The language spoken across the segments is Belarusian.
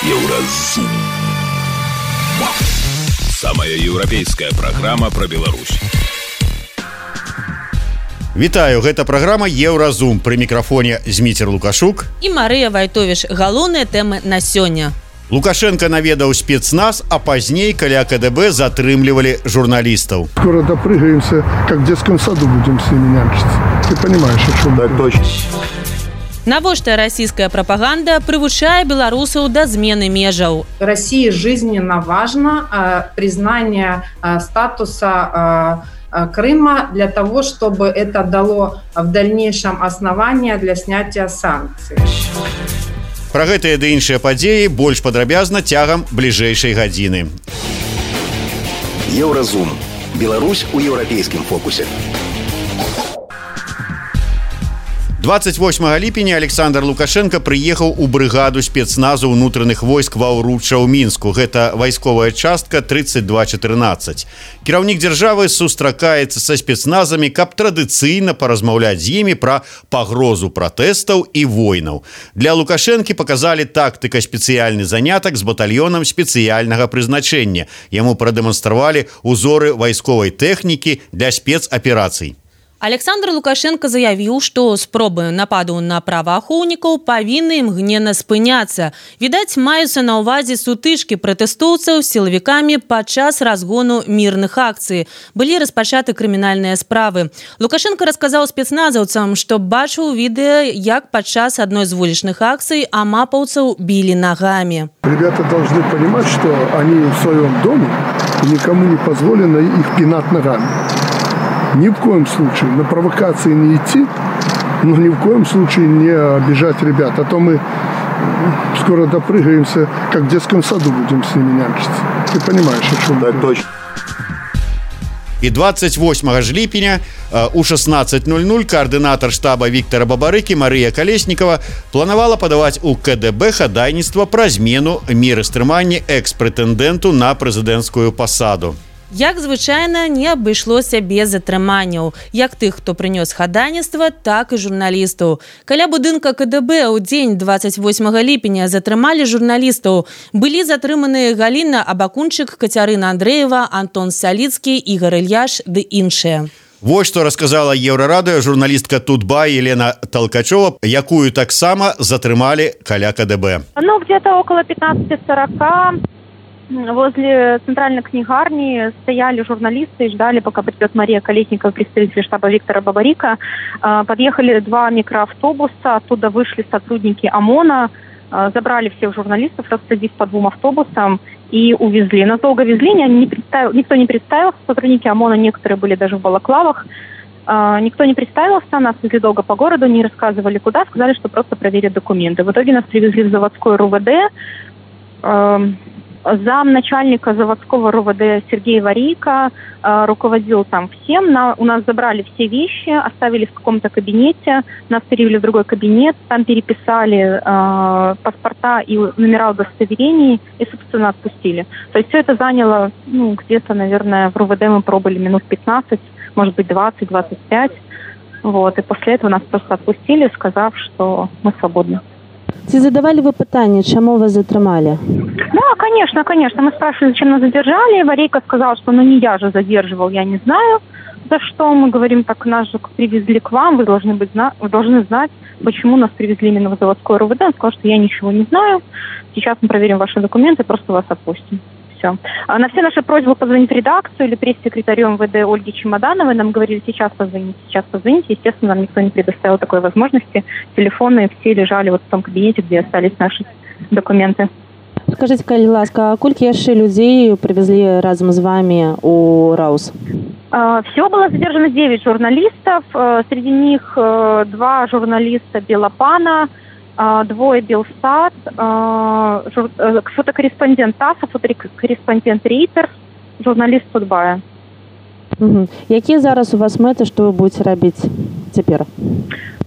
Еўразум. Самая еўрапейская праграма пра Беларусь. Вітаю, гэта праграма Еўразум. Пры мікрафоне Зміцер Лукашук і Марыя Вайтовіч. Галоўныя тэмы на сёння. Лукашенко наведаў спецназ, а пазней каля КДБ затрымлівалі журналістаў. Скоро допрыгаемся, как в детском саду будем с ними нянчиться. Ты понимаешь, о чем я говорю? Навошта расійская прапаганда прывучае беларусаў да змены межаў? России жизненно важно признание статуса Крыма для того, чтобы это дало в дальнейшем основания для снятия санкций. Пра гэтыя ды іншыя падзеі больш падрабязна цягам бліжэйшай гадзіны. Еўразум. Беларусь у еўрапейскім фокусе. 28 ліпеня Александр Лукашенко прыехаў у брыгаду спецназу ўнутраных войск ва ўручча ў Мінску. Гэта вайсковая частка 3214. Кіраўнік дзяржавы сустракаецца са спецназамі, каб традыцыйна паразмаўляць з імі пра пагрозу пратэстаў і войнаў. Для Лукашэнкі паказалі тактыка спецыяльны занятак з батальёнам спецыяльнага прызначэння. Яму прадэманстравалі узоры вайсковай тэхнікі для спецаперацый. Александр Лукашенко заявіў, што спробы нападу на праваахоўнікаў павінны імгненна спыняцца. Відаць, маюцца на ўвазе сутычкі пратэстоўцаў з сілавікамі падчас разгону мірных акцый. Былі распачаты крымінальныя справы. Лукашенко расказаў спецназаўцам, што бачыў відэа, як падчас адной з вулічных акцый амапаўцаў білі нагамі. Ребята должны понимать, что они в своем доме, и никому не позволено их пинать ногами. Ни в коем случае на провокации не идти, но ни в коем случае не обижать ребят. А то мы скоро допрыгаемся, как в детском саду будем с ними нянчиться. Ты понимаешь, о чем я говорю? І 28 ж ліпеня у 16:00 координатор штаба Віктора Бабарыкі Марыя Калеснікова планавала падаваць у КДБ хадайніцтва пра змену меры стрымання экс-прэтэндэнту на прэзідэнцкую пасаду. Як звычайна, не абышлося без затрыманняў, як тых, хто прынёс хадайніцтва, так і журналістаў. Каля будынка КДБ ў дзень 28 ліпеня затрымалі журналістаў. Былі затрыманыя Галіна Абакунчык, Кацярына Андрэева, Антон Саліцкі, Ігор Ільяш ды іншыя. Вось што расказала Еўрарадыё журналістка Тутбай Елена Толкачова, якую таксама затрымалі каля КДБ. Где-то около 15:40 возле центральной книгарни стояли журналисты и ждали, пока придет Мария Колесникова, представитель штаба Виктора Бабарика. Подъехали 2 микроавтобуса, оттуда вышли сотрудники ОМОНа, забрали всех журналистов, рассадив по 2 автобусам и увезли. Нас долго везли, никто не представился, сотрудники ОМОНа, некоторые были даже в балаклавах. Никто не представился, нас везли долго по городу, не рассказывали куда, сказали, что просто проверят документы. В итоге нас привезли в заводской РУВД. Замначальника заводского РУВД Сергей Варейко руководил там всем. У нас забрали все вещи, оставили в каком-то кабинете, нас перевели в другой кабинет, там переписали паспорта и номера удостоверений и, собственно, отпустили. То есть все это заняло, где-то, наверное, в РУВД мы пробыли минут 15, может быть, 20-25. Вот. И после этого нас просто отпустили, сказав, что мы свободны. Ці задавали вы пытанне, чему вас затрымали? Да, конечно. Мы спрашивали, зачем нас задержали. Варейко сказал, что не я же задерживал, я не знаю, за что. Мы говорим, так нас же привезли к вам, вы должны знать, почему нас привезли именно в заводской РУВД. Он сказал, что я ничего не знаю. Сейчас мы проверим ваши документы, просто вас отпустим. Все. На все наши просьбы позвонить в редакцию или пресс-секретарю МВД Ольге Чемодановой нам говорили, сейчас позвоните. Естественно, нам никто не предоставил такой возможности. Телефоны все лежали вот в том кабинете, где остались наши документы. Скажите, калі ласка, а колькі яшчэ людзей привезли разом с вами у РАУС? Всего было задержано 9 журналистов. Среди них 2 журналиста Белопана, 2 Белстат, фотокорреспондент ТАССа, фотокорреспондент Рейтерс, журналист Тутбая. Якія зараз у вас мэты, што вы будете робить теперь?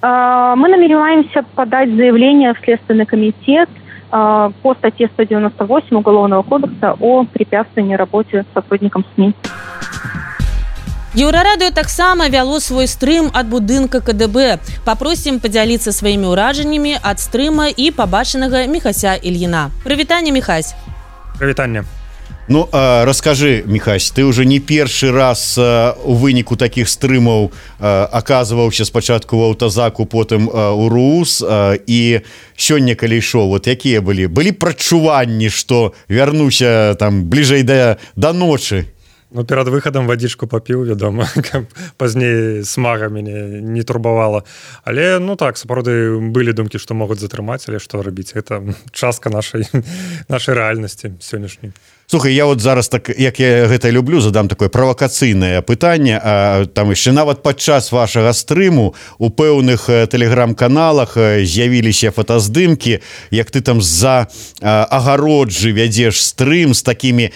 Мы намереваемся подать заявление в Следственный комитет по статье 198 Уголовного кодекса о препятствовании работе сотрудникам СМИ. Еўрарадыё таксама вяло свой стрым ад будынка КДБ. Папросім падзяліцца сваімі ўражаннямі ад стрыма і пабачанага Міхася Ільіна. Прывітанне, Міхась. Прывітанне. Ну, раскажы, Міхась, ты уже не першы раз у выніку такіх стрымаў аказваўся спачатку ў аўтазаку, потым у РУС, і сёння, калі ішоў, вот якія былі прачуванні, што вярнуся там бліжэй да ночы? Ну, перад выхадам вадзічку папіў, вядома, каб пазней смага мяне не турбавала. Але, ну так, сапраўды былі думкі, што могуць затрымаць, але што рабіць? Гэта частка нашай рэальнасці сённяшняй. Слухай, я вот зараз, так як я гэта люблю, задам такое правакацыйнае пытанне. Там яшчэ нават падчас вашага стрыму у пэўных тэлеграм-каналах з'явіліся фотаздымкі, як ты там з-за агароджы вядзеш стрым з такімі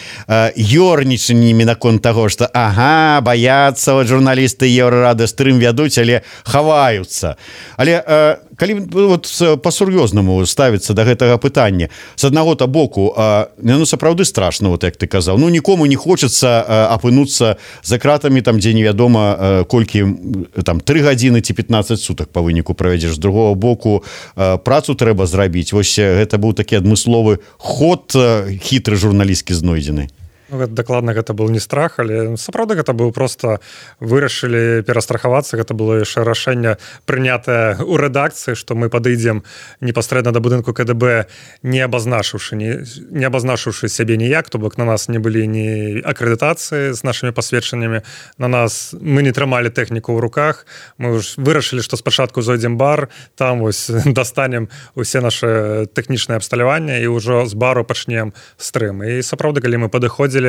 ёрнічаннямі наконт таго, што баяцца вот журналісты Еўрарады стрым вядуць, але хаваюцца. Але калі вот па-сур'ёзнаму ставіцца да гэтага пытання, з аднаго-то боку, ну сапраўды страшна, вот як ты казаў, ну нікому не хочацца апынуцца за кратамі там, дзе невядома колькі там 3 гадзіны ці 15 сутак па выніку правядзеш. З другого боку, працу трэба зрабіць. Вось гэта быў такі адмысловы ход хітры журналісткі знойдзены. Ну, дакладна гэта быў не страх, але сапраўды гэта быў проста вырашылі перастрахавацца. Гэта было яшчэ рашэнне прынятае ў рэдакцыі, што мы падыдзем непасрэдна да будынку КДБ, не абазначыўшы сябе ніяк, то бок на нас не былі ні акрэдытацыі з нашымі пасведчаннямі, на нас мы не трымалі тэхніку ў руках. Мы ж вырашылі, што спачатку зойдзем бар, там вось дастанем усе нашы тэхнічнае абсталяванне і ўжо з бару пачнем стрым. І сапраўды, калі мы падыходзілі,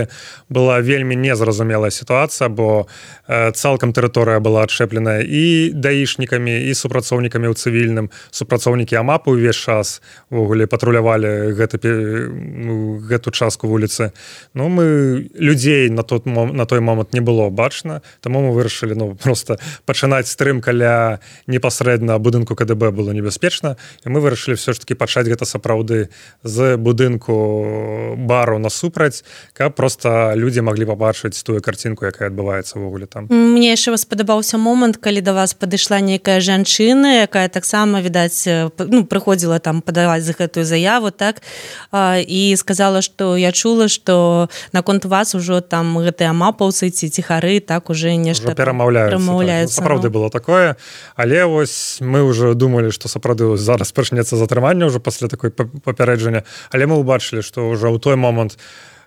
была вельмі незразумелая сітуацыя, бо цалкам тэрыторыя была адшчэпленая і даішнікамі, і супрацоўнікамі ў цывільным. Супрацоўнікі АМАПу ўвесь час увогуле патрулявалі гэту частку вуліцы. Ну, мы людзей на той момант не было бачна, таму мы вырашылі просто пачынаць стрым каля непасрэдна будынку КДБ было небяспечна, і мы вырашылі все ж таки пачаць гэта сапраўды з будынку бару насупраць, каб просто людзі маглі пабачыць тую карцінку, якая адбываецца ўвогуле там. Мне яшчэ спадабаўся момант, калі да вас падышла нейкая жанчына, якая таксама, відаць, прыходзіла там падаваць за гэтую заяву, так, і сказала, што я чула, што наконт вас ужо там гэтыя амапаўцы ці ціхары так уже нешта перамаўляюцца. Сапраўды было такое, але вось мы ўжо думалі, што сапраўды зараз пачнецца затрыманне ўжо пасля такой папярэджання, але мы ўбачылі, што ўжо ў той момант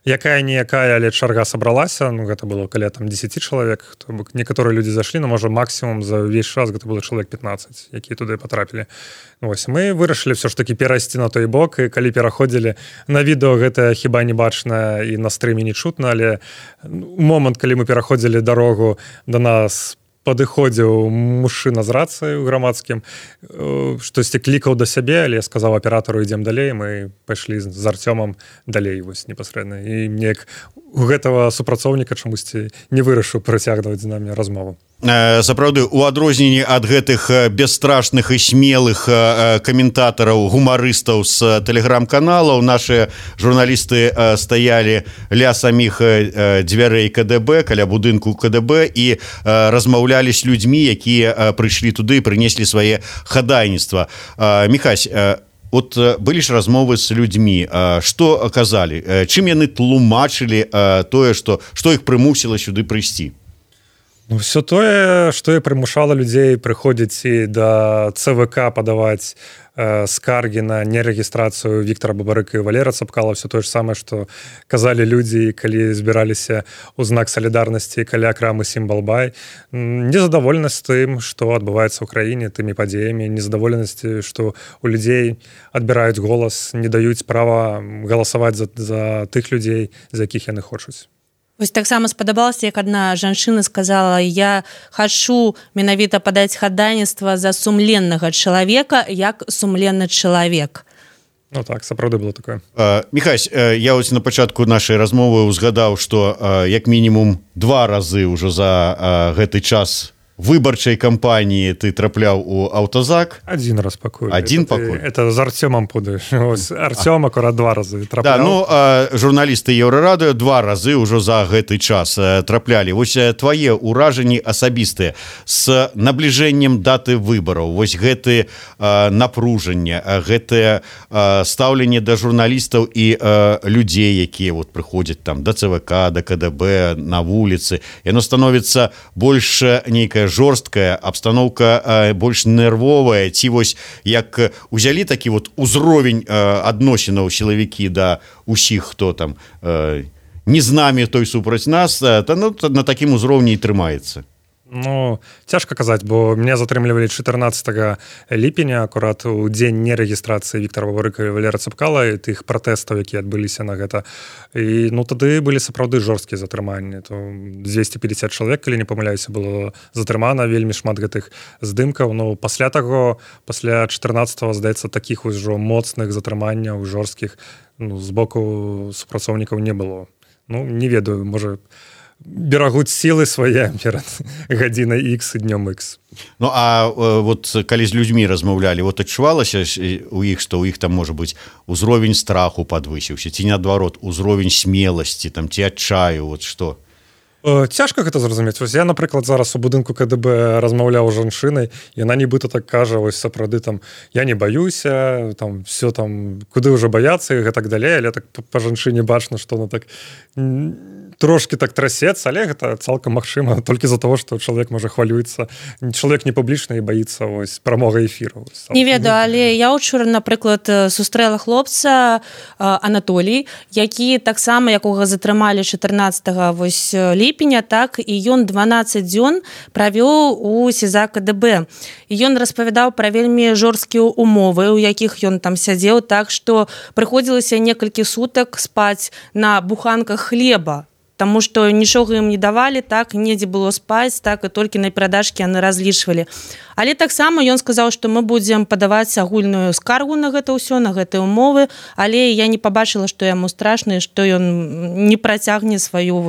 якая-ніякая, але чарга сабралася, ну, гэта было каля там 10 чалавек, то бок некаторыя людзі зайшлі, но можа максімум за ўвесь час гэта было чалавек 15, якія туды патрапілі. Вось, мы вырашылі ўсё ж такі перайсці на той бок, і калі пераходзілі на відэо, гэта хіба не бачна і на стрыме не чутна, але момант, калі мы пераходзілі дарогу, да нас падыходзіў мужчына з рацыяй у грамадскім, штосьці клікаў да сябе, але я сказаў аператару, ідзем далей, мы пайшлі з Артёмам далей вось непасрэдна. І неяк у гэтага супрацоўніка чамусьці не вырашыў працягваць з намі размову. Сапраўды, у адрозненні ад гэтых бесстрашных і смелых каментатараў, гумарыстаў з тэлеграм-каналаў, нашыя журналісты стаялі ля саміх дзвярэй КДБ, каля будынку КДБ, і размаўлялі з людзьмі, якія прыйшлі туды і прынеслі свае хадайніцтва. Міхась, от былі ж размовы з людзьмі, што казалі, чым яны тлумачылі тое, што іх прымусіла сюды прыйсці? Ну, все тое, што і прымушала людзей прыходзіць і да ЦВК падаваць скаргі на нерэгістрацыю Віктара Бабарыка і Валера Цапкала, все тое ж самае, што казалі людзі, калі збіраліся ў знак салідарнасці каля крамы Сімбалбай. Незадаволенасць тым, што адбываецца ў краіне, тымі падзеямі, незадаволенасці, што у людзей адбіраюць голас, не даюць права галасаваць за тых людзей, за якіх яны хочуць. Вось таксама спадабалася, як адна жанчына сказала: я хачу менавіта падаць хадайніцтва за сумленнага чалавека, як сумленны чалавек. Ну так, сапраўды было такое. Міхась, я ось на пачатку нашай размовы узгадаў, што як мінімум 2 разы ўжо за гэты час выбарчай кампаніі ты трапляў у аўтазак? Один раз пакуль. Пакуль. Это з Артёмам пудаеш. Артём акурат 2 разы трапляў. Да, ну, журналісты Еўрарадыё 2 разы ўжо за гэты час траплялі. Вось твае ўражанні асабістыя з набліжэннем даты выбараў. Вось гэты напружанне, гэтае стаўленне да журналістаў і людзей, якія вот прыходзяць там да ЦВК, да КДБ, на вуліцы. Яно становіцца больш нейкая жорсткая абстаноўка, больш нервовая, ці вось як узялі такі вот узровень адносінаў сілавікі да усіх, хто там не з намі, той супраць нас, на такім узроўні і трымаецца. Ну, цяжка казаць, бо мяне затрымлівалі 14 ліпеня, акурат у дзень нерэгістрацыі Віктара Бабарыка і Валера Цапкала і тых пратэстаў, якія адбыліся на гэта. І ну тады былі сапраўды жорсткія затрыманні. То 250 чалавек, калі не памыляюся, было затрымана, вельмі шмат гэтых здымкаў. Ну, пасля таго, пасля 14-го, здаецца, такіх ужо моцных затрыманняў жорсткіх з боку супрацоўнікаў не было. Ну, не ведаю, можа, берагуць сілы свае перад гадзінай X і днём X. Ну, а вот калі з людзьмі размаўлялі, вот адчувалася у іх, што ў іх там, можа быць, узровень страху падвысіўся, ці наадварот, узровень смеласці, там, ці адчаю, вот што? Цяжка гэта зразумець. Вось я, напрыклад, зараз у будынку КДБ размаўляў з жанчынай, яна нібыта так кажа, вось сапраўды там, я не баюся, там, все там, куды ўжо баяцца і гэтак далей, але так па жанчыне бачна, што она так трошки так трасецца, але гэта цалкам магчыма толькі з-за таго, што чалавек можа хвалюецца. Чалавек не публічны і баіцца вось прамога эфіру. Не ведаю, але я учора, напрыклад, сустрэла хлопца Анатолій, які таксама, якога затрымалі 14 вось ліпеня, так і ён 12 дзён правёў у СІЗА КДБ. І ён распавядаў пра вельмі жорсткія умовы, у якіх ён там сядзеў, так што прыходзілася некалькі сутак спаць на буханках хлеба, таму што нічога ім не давалі, так, недзе было спаць, так, і толькі на перадачкі яны разлічвалі. Але таксама ён сказаў, што мы будзем падаваць агульную скаргу на гэта ўсё, на гэтыя умовы, але я не пабачыла, што яму страшна, што ён не працягне сваю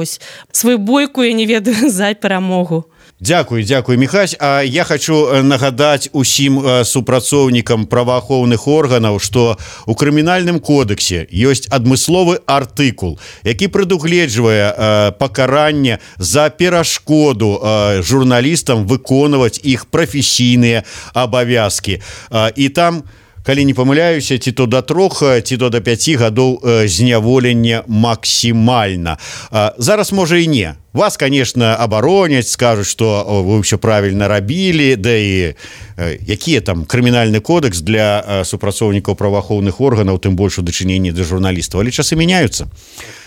бойку, я не ведаю, за перамогу. Дзякуй, Міхась. А я хочу нагадаць усім супрацоўнікам праваахоўных органаў, што у крымінальным кодексе ёсць адмысловы артыкул, які прадугледжвае пакаранне за перашкоду журналістам выконваць іх прафесійныя абавязкі. І там, калі не памыляюся, ці то да 3, ці то да 5 гадоў зняволення максімальна. Зараз, можа, і не. Вас, конечно, абароняць, скажуць, што вы ўсё правільна рабілі, да і якія там крымінальны кодекс для супрацоўнікаў праваахоўных органаў, тым больш у дачыненні да журналістаў, але часы мяняюцца.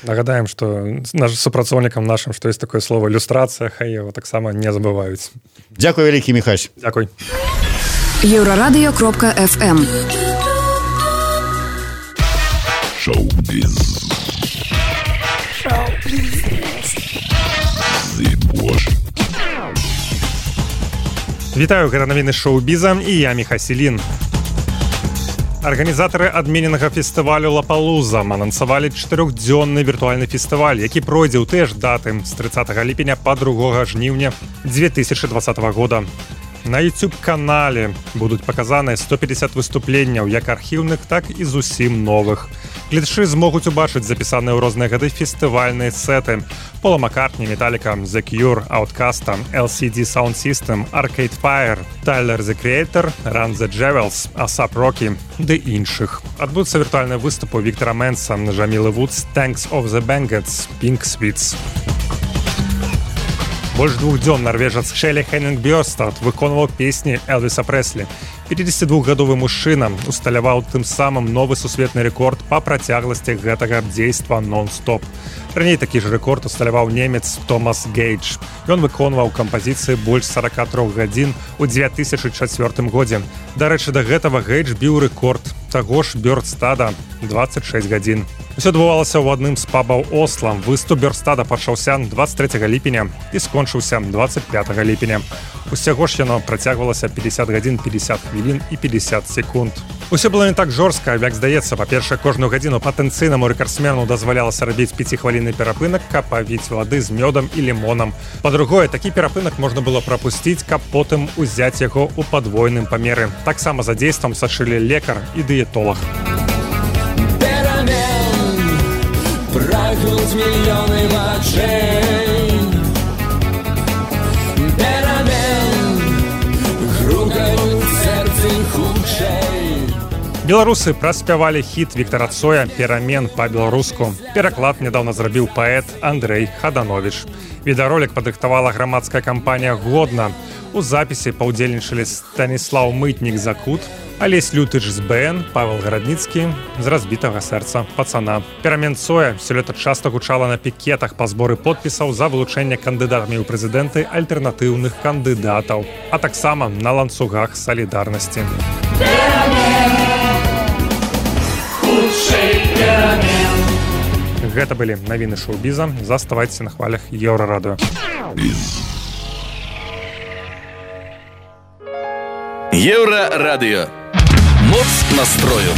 Нагадаем, што супрацоўнікам нашым, што ёсць такое слово люстрацыя, хай яго таксама не забываюць. Дзякуй вялікі, Міхась. Дзякуй. Еврорадио.FM. Шоу-біз. Вітаю, гэта навіны шоу-біза і я Міхасілін. Арганізатары адмененага фестывалю Лапалуза анансавалі 4-дзённы віртуальны фестываль, які пройдзе ў тыя ж даты з 30 ліпеня па 2 жніўня 2020 года. На YouTube-канале будуць паказаны 150 выступленняў, як архіўных, так і зусім новых. Гледачы змогуць убачыць запісаныя ў розныя гады фестывальныя сеты Пола Маккартні, Металліка, The Cure, Outkast, LCD Sound System, Arcade Fire, Tyler, The Creator, Run the Jewels, A$AP Rocky ды іншых. Адбудуцца віртуальныя выступы Віктара Менса, Джамілы Вудс, Tanks of the Bandits, Pink Sweets. Больш 2 дзён нарвежац Шэлі Хеннінг Бёрстад выконваў песні Элвіса Прэслі. 52-гадовы мужчына усталяваў тым самым новы сусветны рэкорд па працягласці гэтага дзейства нон-стоп. Раней такі ж рэкорд усталяваў немец Томас Гейдж. Ён выконваў кампазіцыі больш 43 гадзін у 2004 годзе. Дарэчы, да гэтага Гейдж біў рэкорд таго ж Бёрстада 26 гадзін. Усё адбывалася ў адным з пабаў Осла. Выступ Бёрстада пачаўся 23 ліпеня і скончыўся 25 ліпеня. Усяго ж яно працягвалася 50 гадзін 50 хвілін. хвілін і 50 секунд. Усё было не так жорстка, як здаецца. Па-першае, кожную гадзіну патэнцыйнаму рэкардсмену дазвалялася рабіць 5-хвілінны перапынак, каб павіць вады з мёдам і лімонам. Па-другое, такі перапынак можна было прапусціць, каб потым узяць яго ў падвойным памеры. Таксама за дзействам сачылі лекар і дыетолог. Прагнуць мільёны вачэй. Грукаюць сэрцы хутчэй. Беларусы праспявалі хіт Віктара Цоя «Перамен» па-беларуску. Пераклад нядаўна зрабіў паэт Андрэй Хаданович. Відэаролік падрыхтавала грамадская кампанія «Годна». У запісе паўдзельнічалі Станіслаў Мытнік за кут, Алесь Лютыч з БН, Павел Гарадніцкі з разбітага сэрца пацана. «Перамен» Цоя сёлета часта гучала на пікетах па зборы подпісаў за вылучэнне кандыдатамі ў прэзідэнты альтэрнатыўных кандыдатаў, а таксама на ланцугах салідарнасці. Гэта былі навіны шоу-біза. Заставайцеся на хвалях Еўрарадыё. Еўрарадыё. Моц настрою.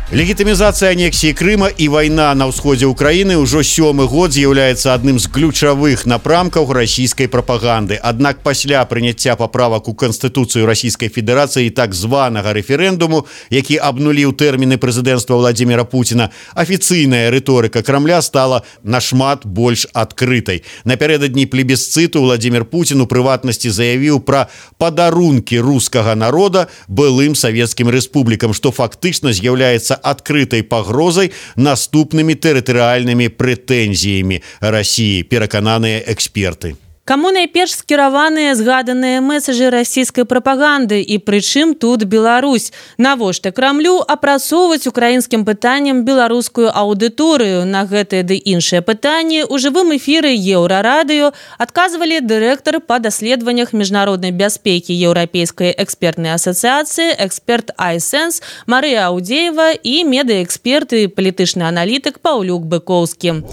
Легітымізацыя анексіі Крыма і вайна на ўсходзе ўкраіны ўжо 7-й год з'яўляецца адным з ключавых напрамкаў расійскай прапаганды. Аднак пасля прыняцця паправак у Канстытуцыю Расійскай Федэрацыі і так званага рэферэндуму, які абнуліў тэрміны прэзідэнцтва Владзіміра Пуціна, афіцыйная рыторыка Крамля стала нашмат больш адкрытай. Напярэдадні плебісцыту Владзімір Пуцін у прыватнасці заявіў пра падарункі рускага народа былым савецкім рэспублікам, што фактычна з'яўляецца адкрытай пагрозай наступнымі тэрытарыяльнымі прэтэнзіямі Расіі, перакананыя эксперты. Каму найперш скіраваныя згаданыя месаджы расійскай прапаганды і прычым тут Беларусь? Навошта Крамлю апрацоўваць украінскім пытаннем беларускую аўдыторыю? На гэтыя ды іншыя пытанні ў жывым эфіры Еўрарадыё адказвалі дырэктар па даследаваннях міжнароднай бяспекі Еўрапейскай экспертнай асацыяцыі, эксперт iSense Марыя Аўдзеева і медыаэксперт і палітычны аналітык Паўлюк Быкоўскі.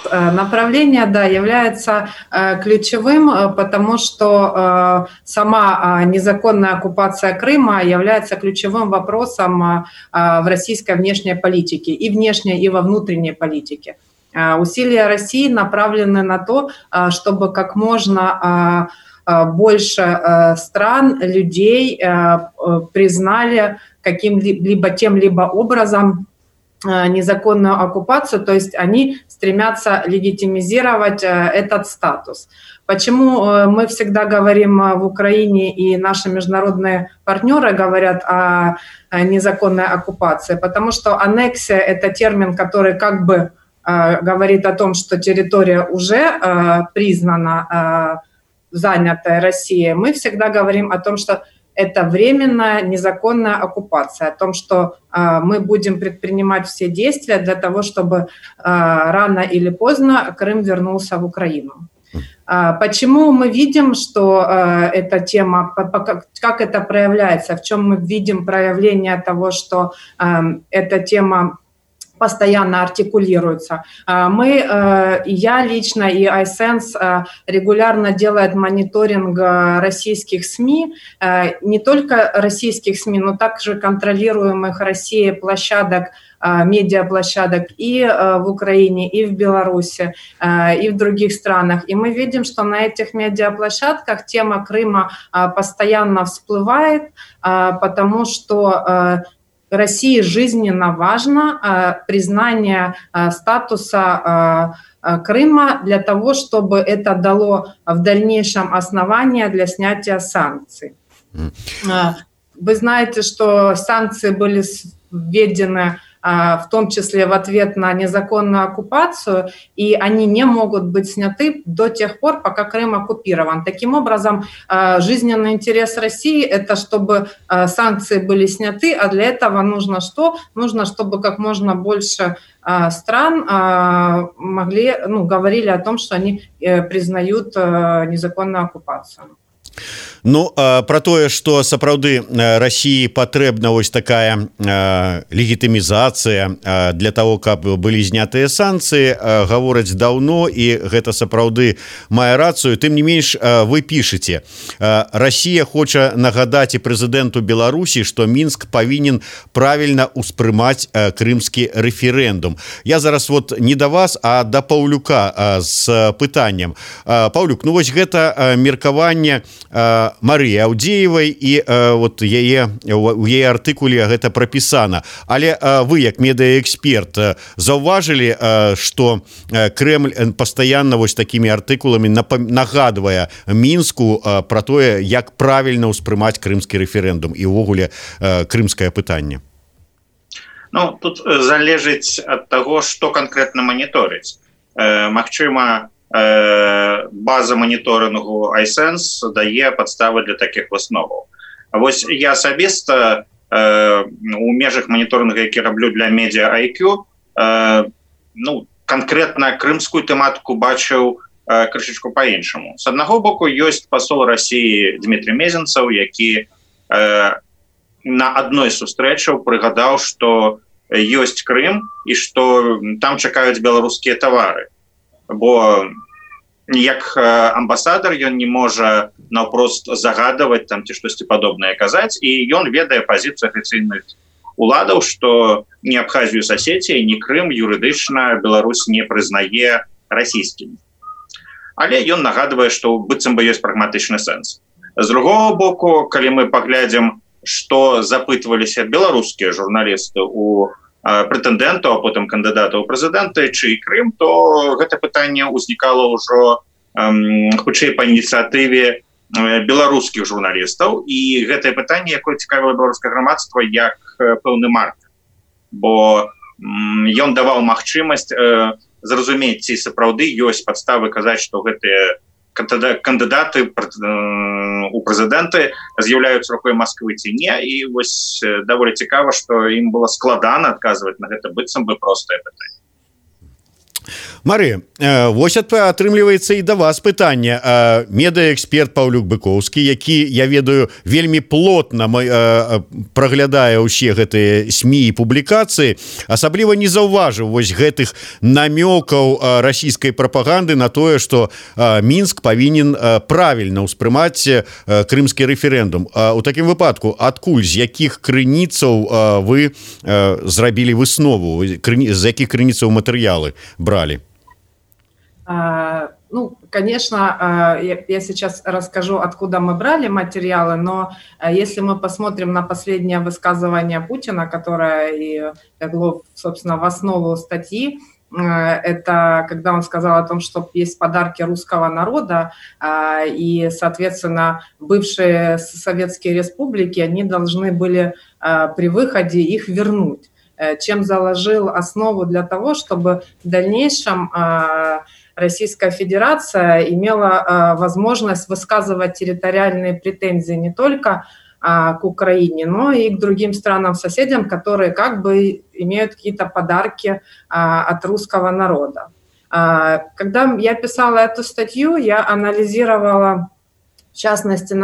Направление, да, является ключевым, потому что сама незаконная оккупация Крыма является ключевым вопросом в российской внешней политике, и внешней, и во внутренней политике. Усилия России направлены на то, чтобы как можно больше стран, людей признали каким-либо тем-либо образом незаконную оккупацию, то есть они стремятся легитимизировать этот статус. Почему мы всегда говорим в Украине и наши международные партнеры говорят о незаконной оккупации? Потому что аннексия – это термин, который как бы говорит о том, что территория уже признана занятая Россией. Мы всегда говорим о том, что это временная незаконная оккупация, о том, что мы будем предпринимать все действия для того, чтобы рано или поздно Крым вернулся в Украину. Почему мы видим, что эта тема, как это проявляется, в чем мы видим проявление того, что эта тема постоянно артикулируется. Я лично и iSense регулярно делает мониторинг российских СМИ, не только российских СМИ, но также контролируемых Россией площадок, медиаплощадок и в Украине, и в Беларуси, и в других странах. И мы видим, что на этих медиаплощадках тема Крыма постоянно всплывает, потому что России жизненно важно признание статуса Крыма для того, чтобы это дало в дальнейшем основания для снятия санкций. Вы знаете, что санкции были введены в том числе в ответ на незаконную оккупацию, и они не могут быть сняты до тех пор, пока Крым оккупирован. Таким образом, жизненный интерес России – это чтобы санкции были сняты, а для этого нужно что? Нужно, чтобы как можно больше стран говорили о том, что они признают незаконную оккупацию. Ну про тое, што сапраўды Расіі патрэбна вось такая легітымізацыя для того, каб былі знятыя санкцыі, гавораць даўно, і гэта сапраўды мае рацыю. Тым не менш, вы пішаце: Расія хоча нагадаць і прэзідэнту Беларусі, што Мінск павінен правільна ўспрымаць крымскі рэферэндум. Я зараз вот не да вас, а да Паўлюка з пытаннем. Паўлюк, ну вось гэта меркаванне Марыі Аўдзеевай, і вот у яе артыкуле гэта прапісана. Але вы, як медыаэксперт, заўважылі, што Крэмль пастаянна вось такімі артыкуламі нагадвае Мінску пра тое, як правільна ўспрымаць крымскі рэферэндум і ўвогуле крымскае пытанне? Ну, тут залежыць ад таго, што канкрэтна маніторыць. Магчыма, база моніторингу iSense дае падставы для такіх высноваў. Вось я асабіста у межах моніторинга, які раблю для Media IQ, канкрэтна крымскую тэматыку бачыў крышачку па-іншаму. З аднаго боку, ёсць пасол Расіі Дмітрий Мезенцаў, які на адной з сустрэчаў прыгадаў, што ёсць Крым і што там чакаюць беларускія тавары. Бо як амбасадар ён не можа наўпрост загадаваць там ці штосьці падобнае казаць, і ён ведае пазіцыю афіцыйных уладаў, што ні Абхазію з Асетіяй, ні Крым юрыдычна Беларусь не прызнае расійскім. Але ён нагадвае, што быццам бы ёсць прагматычны сэнс. З другого боку, калі мы паглядзім, што запытваліся беларускія журналісты у прэтэндэнтаў, а потым кандыдатаў у прэзідэнты, чый Крым, то гэта пытанне ўзнікала ўжо хутчэй па ініцыятыве беларускіх журналістаў, і гэтае пытанне, якое цікавіла беларускае грамадства, як пэўны маркер. Бо ён даваў магчымасць зразумець, ці сапраўды ёсць падставы казаць, што гэтыя кандыдаты у прэзідэнты з'яўляюцца рукой Масквы ці не, і вось даволі цікава, што ім было складана адказваць на гэта быццам бы простае пытанне. Марыя, вось атрымліваецца і да вас пытанне. Медыаэксперт Паўлюк Быкоўскі, які, я ведаю, вельмі плотна праглядае ўсе гэтыя СМІ і публікацыі, асабліва не заўважыў вось гэтых намёкаў расійскай прапаганды на тое, што Мінск павінен правільна ўспрымаць крымскі рэферэндум. У такім выпадку, адкуль, з якіх крыніцаў вы зрабілі выснову, з якіх крыніцаў матэрыялы брали? Ну, конечно, я сейчас расскажу, откуда мы брали материалы, но если мы посмотрим на последнее высказывание Путина, которое и легло, собственно, в основу статьи, это когда он сказал о том, что есть подарки русского народа, и, соответственно, бывшие советские республики, они должны были при выходе их вернуть, чем заложил основу для того, чтобы в дальнейшем Российская Федерация имела возможность высказывать территориальные претензии не только к Украине, но и к другим странам-соседям, которые как бы имеют какие-то подарки от русского народа. Когда я писала эту статью, я анализировала, в частности,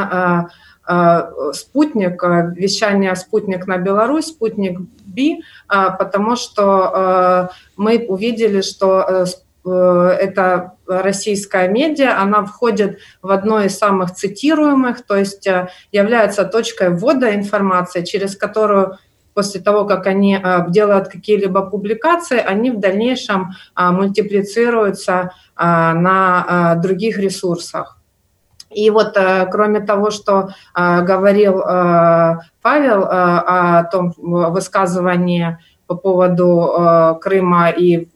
спутник, вещание «Спутник» на Беларусь, «Спутник Би», потому что мы увидели, что это российская медиа, она входит в одно из самых цитируемых, то есть является точкой ввода информации, через которую после того, как они делают какие-либо публикации, они в дальнейшем мультиплицируются на других ресурсах. И вот кроме того, что говорил Павел о том высказывании по поводу Крыма и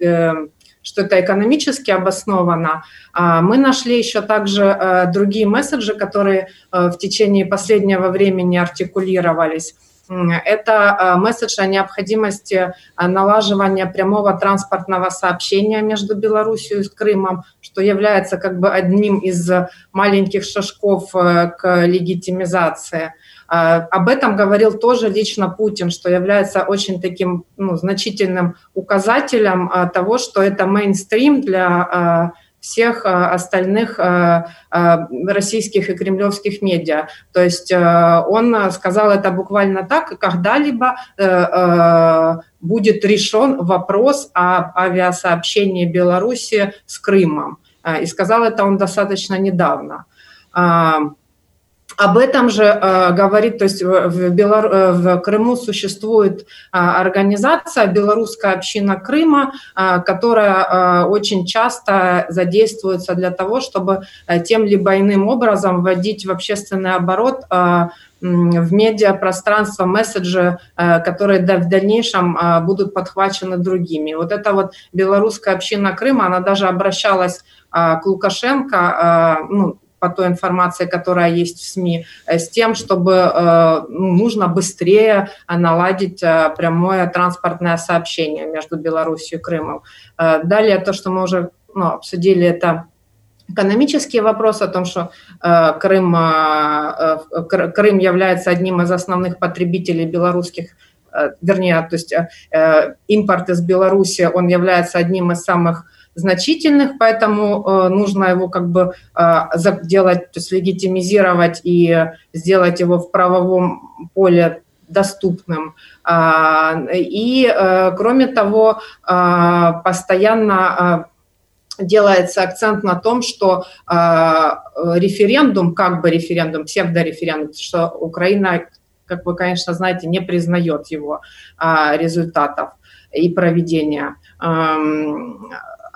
что это экономически обосновано, мы нашли еще также другие месседжи, которые в течение последнего времени артикулировались. Это месседж о необходимости налаживания прямого транспортного сообщения между Беларусью и Крымом, что является как бы одним из маленьких шажков к легитимизации. Об этом говорил тоже лично Путин, что является очень таким значительным указателем того, что это мейнстрим для всех остальных российских и кремлевских медиа. То есть он сказал это буквально так: когда-либо будет решен вопрос о авиасообщении Беларуси с Крымом. И сказал это он достаточно недавно. Об этом же говорит, то есть в Крыму существует организация «Белорусская община Крыма», которая очень часто задействуется для того, чтобы тем либо иным образом вводить в общественный оборот в медиапространство месседжи, которые в дальнейшем будут подхвачены другими. Вот эта вот «Белорусская община Крыма», она даже обращалась к Лукашенко, по той информации, которая есть в СМИ, с тем, чтобы нужно быстрее наладить прямое транспортное сообщение между Беларусью и Крымом. Далее то, что мы уже обсудили, это экономический вопрос о том, что Крым является одним из основных потребителей белорусских, вернее, то есть импорт из Беларуси, он является одним из самых значительных, поэтому нужно его как бы делать, то есть легитимизировать и сделать его в правовом поле доступным. И, кроме того, постоянно делается акцент на том, что референдум, псевдореферендум, что Украина, как вы, конечно, знаете, не признает его результатов и проведения.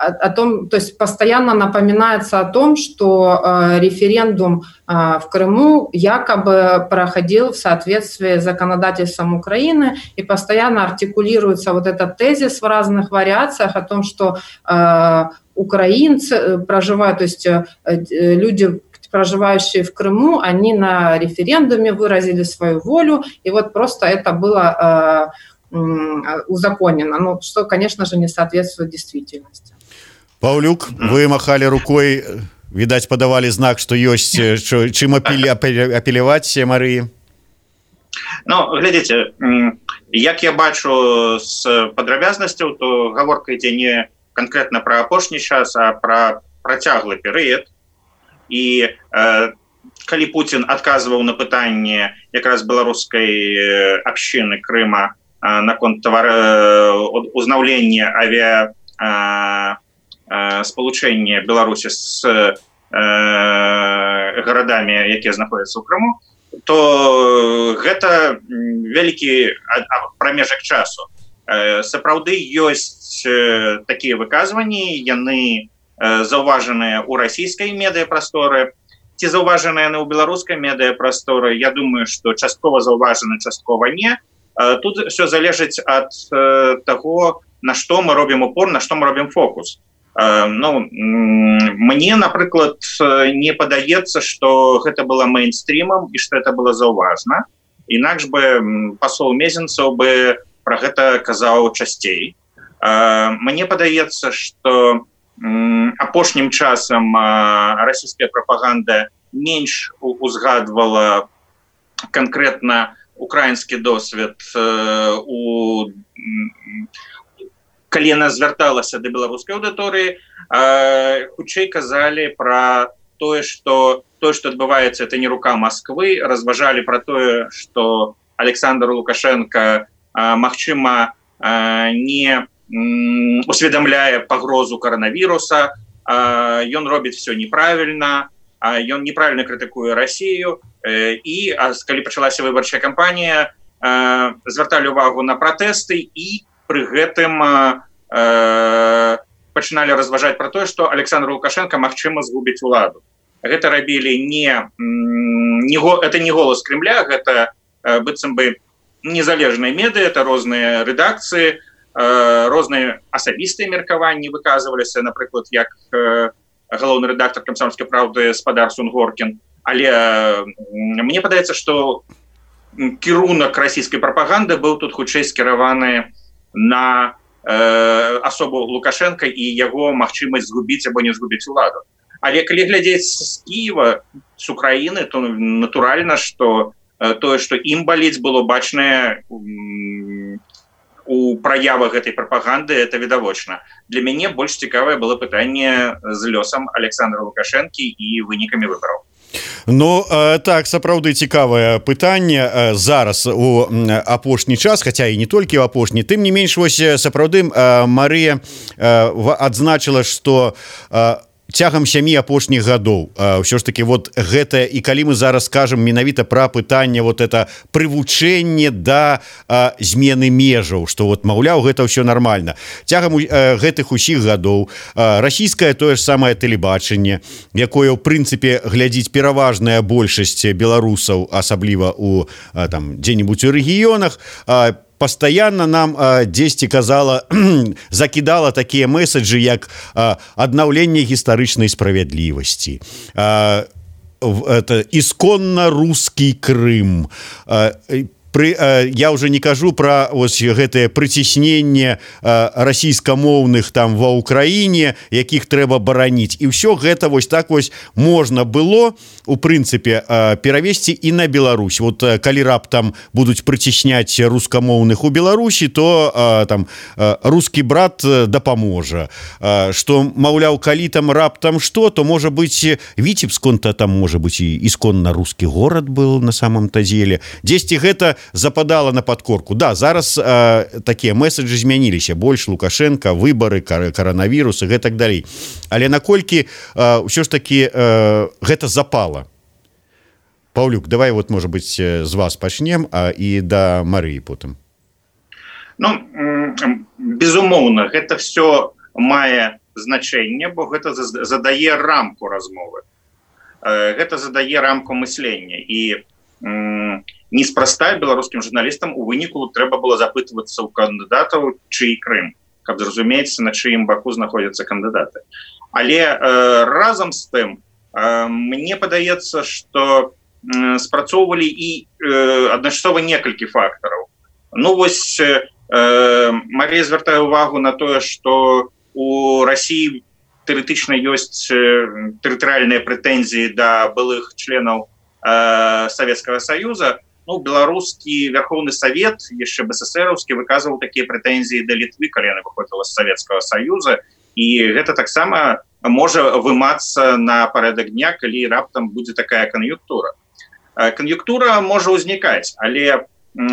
О том, то есть постоянно напоминается о том, что референдум в Крыму якобы проходил в соответствии с законодательством Украины, и постоянно артикулируется вот этот тезис в разных вариациях о том, что украинцы проживают, то есть люди, проживающие в Крыму, они на референдуме выразили свою волю, и вот просто это было узаконено, что, конечно же, не соответствует действительности. Паўлюк, вы махали рукой, відаць, падавалі знак, што ёсць чым апеляваць Марыі. Глядзіце, як я бачу з падрабязнасцяў, то гаворка ідзе не канкрэтна пра апошні час, а пра працяглы перыяд. І калі Путін адказваў на пытанне якраз беларускай абшчыны Крыма наконт узнаўлення спалучэння Беларусі з гарадамі, якія знаходзяцца ў Крыму, то гэта вялікі прамежак часу. Сапраўды ёсць такія выказванні, яны заўважаныя ў расійскай медыяпрасторы, ці заўважаныя яны ў беларускай медыяпрасторы. Я думаю, што часткова заўважаны, часткова не. Тут все залежыць ад таго, на што мы робім упор, на што мы робім фокус. Мне, напрыклад, не падаецца, што гэта было мейнстрімам і што это было заўважна. Інакш бы пасол Мезенцаў бы пра гэта казаў часцей. Мне падаецца, што апошнім часам расійская прапаганда менш узгадвала канкрэтна украінскі досвед калі яна звярталася да беларускай аўдыторыі, хутчэй казалі пра тое, што адбываецца, это не рука Масквы, разважалі пра тое, што Александр Лукашенко, магчыма, не усведамляе пагрозу каранавіруса, ён робіць все неправільна, ён неправільна крытыкуе Расію, і калі пачалася выбарчая кампанія, звярталі ўвагу на пратэсты і пры гэтым пачыналі разважаць пра тое, што Александр Лукашенко магчыма згубіць уладу. Гэта рабілі это не голас Кремля, гэта быццам бы незалежныя медыа, это розныя рэдакцыі, розныя асабістыя меркаванні выказваліся, напрыклад, як галоўны рэдактар «Камсомольскай правды» спадар Сунгоркін. Але мне падаецца, што кірунак расійскай прапаганды быў тут хутчэй скіраваны на асобу Лукашенка і яго магчымасць згубіць або не згубіць уладу. Але калі глядзець з Кіева, з Украіны, то натуральна, што тое, што ім баліць, было бачнае у праявах гэтай прапаганды это відавочна. Для мяне больш цікавае было пытанне з лёсам Александра Лукашэнкі і вынікамі выбараў. Ну так, сапраўды цікавае пытанне зараз у апошні час, хаця і не толькі ў апошні. Тым не менш, вось сапраўды Марыя адзначыла, што цягам 7 апошніх гадоў ўсё ж таки вот гэта, і калі мы зараз скажем менавіта пра пытанне вот это прывучэнне да змены межаў, што вот маўляў гэта ўсё нормально, цягам гэтых усіх гадоў расійскае тое ж самае тэлебачанне, якое ў прынцыпе глядзіць пераважная большасць беларусаў, асабліва у там дзе-нибудь у рэгіёнах, постоянно нам дзесьці казала, закидала такія месседжы, як аднаўленне гістарычнай справядлівасці, это исконно русский Крым. Я уже не кажу про ось гэтае прыцісненне расійскамоўных там ва Ўкраіне, якіх трэба бараніць. І ўсё гэта вось так вось можна было у прынцыпе перавесці і на Беларусь. Вот калі раптам будуць прыцісняць рускамоўных у Беларусі, то там рускі брат дапаможа. Што маўляў, калі там раптам што, то можа быць Віцебск-то там можа быць і ісконна рускі горад был на самом-то деле. Дзесьці гэта западала на подкорку. Да, зараз такія месседжы змяніліся, больш Лукашенко, выбары, коронавірус і гэтак далей. Але наколькі ўсё ж таки гэта запала? Паўлюк, давай вот, может быть, з вас пачнем, і да Марыі потым. Ну, безумоўна, гэта все мае значэнне, бо гэта задае рамку размовы. Гэта задае рамку мыслення. І неспроста беларускім журналістам у выніку трэба было запытвацца ў кандыдатаў, чый Крым, каб зразумець, на чыім баку знаходзяцца кандыдаты. Але разам з тым, мне падаецца, што спрацоўвалі і адначасова некалькі фактараў. Ну вось Марія звяртае ўвагу на тое, што у Расіі тэарэтычна ёсць тэрытарыяльныя прэтэнзіі да былых членаў Советского Союза. Ну, беларускі Верховны Совет, яшчэ БССРаўскі, выказваў такія прэтэнзіі да Літвы, калі яна выходзіла з Советского Союза, і гэта таксама можа вымацца на парадак дня, калі раптам будзе такая кан'юнктура. Кан'юнктура можа ўзнікаць, але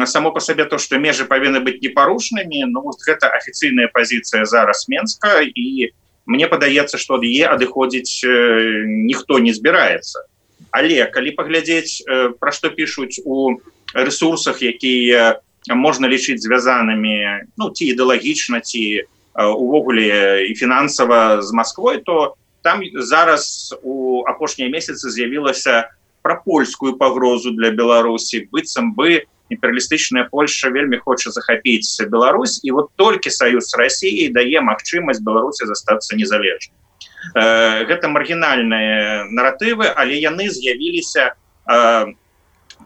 само па сабе то, што межы павінны быць непарушнымі, ну, гэта афіцыйная пазіцыя зараз Менска, і мне падаецца, што ад яе адыходзіць ніхто не збіраецца. Але калі паглядзець, пра што пішуць у рэсурсах, якія можна лічыць звязанымі, ну, ці ідэалагічна, ці увогуле і фінансава з Масквой, то там зараз у апошнія месяцы з'явілася пра польскую пагрозу для Беларусі. Быццам бы імперыялістычная Польша вельмі хоча захапіць Беларусь, і вот толькі саюз з Расіяй дае магчымасць Беларусі застацца незалежнай. Гэта маргінальныя наратывы, але яны з'явіліся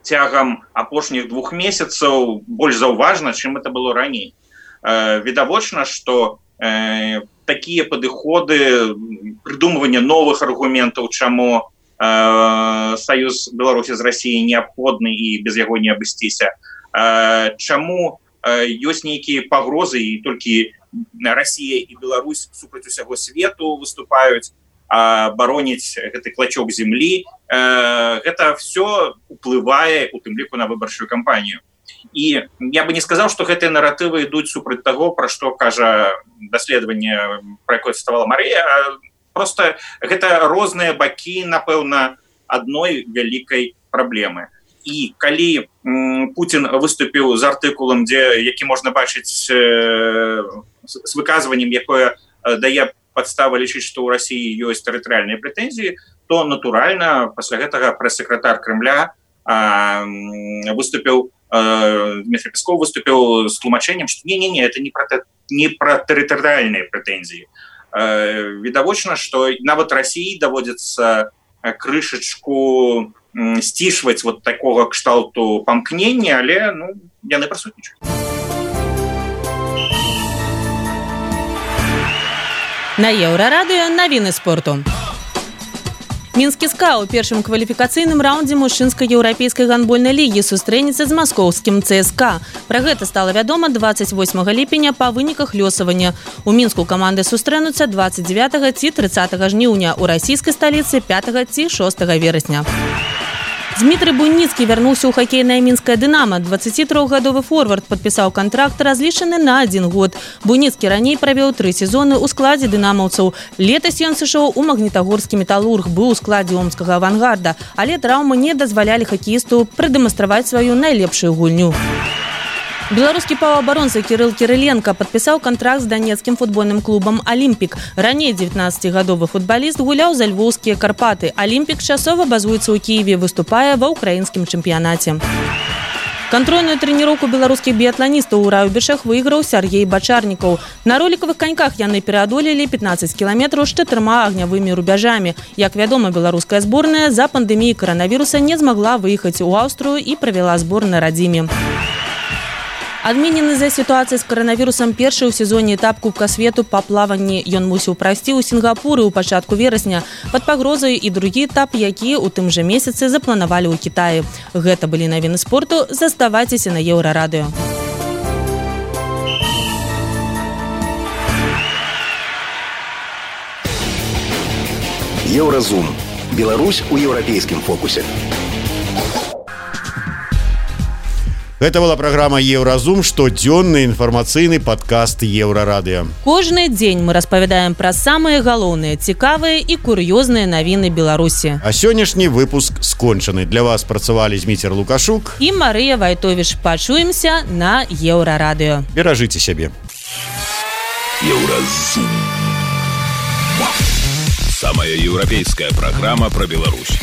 цягам апошніх 2 месяцаў больш заўважна, чым это было раней. Відавочна, што такія падыходы, прыдумванне новых аргументаў, чаму саюз Беларусі з Расіяй неабходны і без яго не абысціся, чаму ёсць нейкія пагрозы і толькі Расія і Беларусь супраць усяго свету выступаюць, бароніць гэты клачок землі. Гэта все уплывае у тым ліку на выбарчую кампанію. І я бы не сказаў, што гэтыя наратывы ідуць супраць таго, пра што кажа даследаванне, пра якое цытавала Марыя. Просто гэта розныя бакі, напэўна, адной вялікай праблемы. І калі Путін выступіў з артыкулам, які можна бачыць з выказваннем, якое дае падставы лічыць, што ў Расіі ёсць тэрытарыяльныя прэтэнзіі, то натуральна пасля гэтага прэс-сакратар Крымля выступіў, Дмітрий Песков выступіў з тлумачэннем, што не, это не пра тэрытарыяльныя прэтэнзіі. Відавочна, што нават Расіі даводзіцца крышачку сцішваць вот такога кшталту памкнення, але ну, яны прысутнічаюць. На Еўрарадыё навіны спорту. Мінскі СКА ў першым кваліфікацыйным раўндзе мужчынскай еўрапейскай гандбольнай лігі сустрэнецца з маскоўскім ЦСКА. Пра гэта стала вядома 28 ліпеня па выніках лёсавання. У Мінску каманды сустрэнуцца 29 ці 30 жніўня, у расійскай сталіцы 5 ці 6 верасня. Дмітрый Буйніцкі вярнуўся ў хакейнае мінскае «Дынамо». 23-гадовы форвард падпісаў кантракт, разлічаны на 1 год. Буйніцкі раней правёў 3 сезоны ў складзе дынамаўцаў. Летась ён сышоў у магнітагорскі «Металург», быў у складзе омскага «Авангарда», але траўмы не дазвалялі хакеісту прадэманстраваць сваю найлепшую гульню. Беларускі паўабаронца Кірыл Кірыленка падпісаў кантракт з данецкім футбольным клубам «Алімпік». Раней 19-гадовы футбаліст гуляў за львоўскія «Карпаты». «Алімпік» часова базуецца ў Кіеве, выступае ва ўкраінскім чэмпіянаце. Кантрольную трэніроўку беларускіх біятланістаў у Раўбішах выйграў Сяргей Бачарнікаў. На ролікавых каньках яны пераадолелі 15 кіламетраў з 4 агнявымі рубяжамі. Як вядома, беларуская зборная за пандэміі каранавіруса не змагла выехаць у Аўстрыю і правяла збор на радзіме. Адменены за сітуацыяй з каранавірусам першы ў сезоне этап Кубка свету па плаванні. Ён мусіў прайсці ў Сінгапуры ў пачатку верасня. Пад пагрозай і другі этап, які ў тым жа месяцы запланавалі ў Кітаі. Гэта былі навіны спорту. Заставайцеся на Еўрарадыё. Еўразум. Беларусь у еўрапейскім фокусе. Гэта была праграма «Еўразум», штодзённы інфармацыйны падкаст Еўрарадыё. Кожны дзень мы распавядаем пра самыя галоўныя, цікавыя і кур'ёзныя навіны Беларусі. А сённяшні выпуск скончаны. Для вас працавалі Зміцер Лукашук і Марыя Вайтовіч. Пачуемся на Еўрарадыё. Беражыце сябе. Еўразум. Самая еўрапейская праграма пра Беларусь.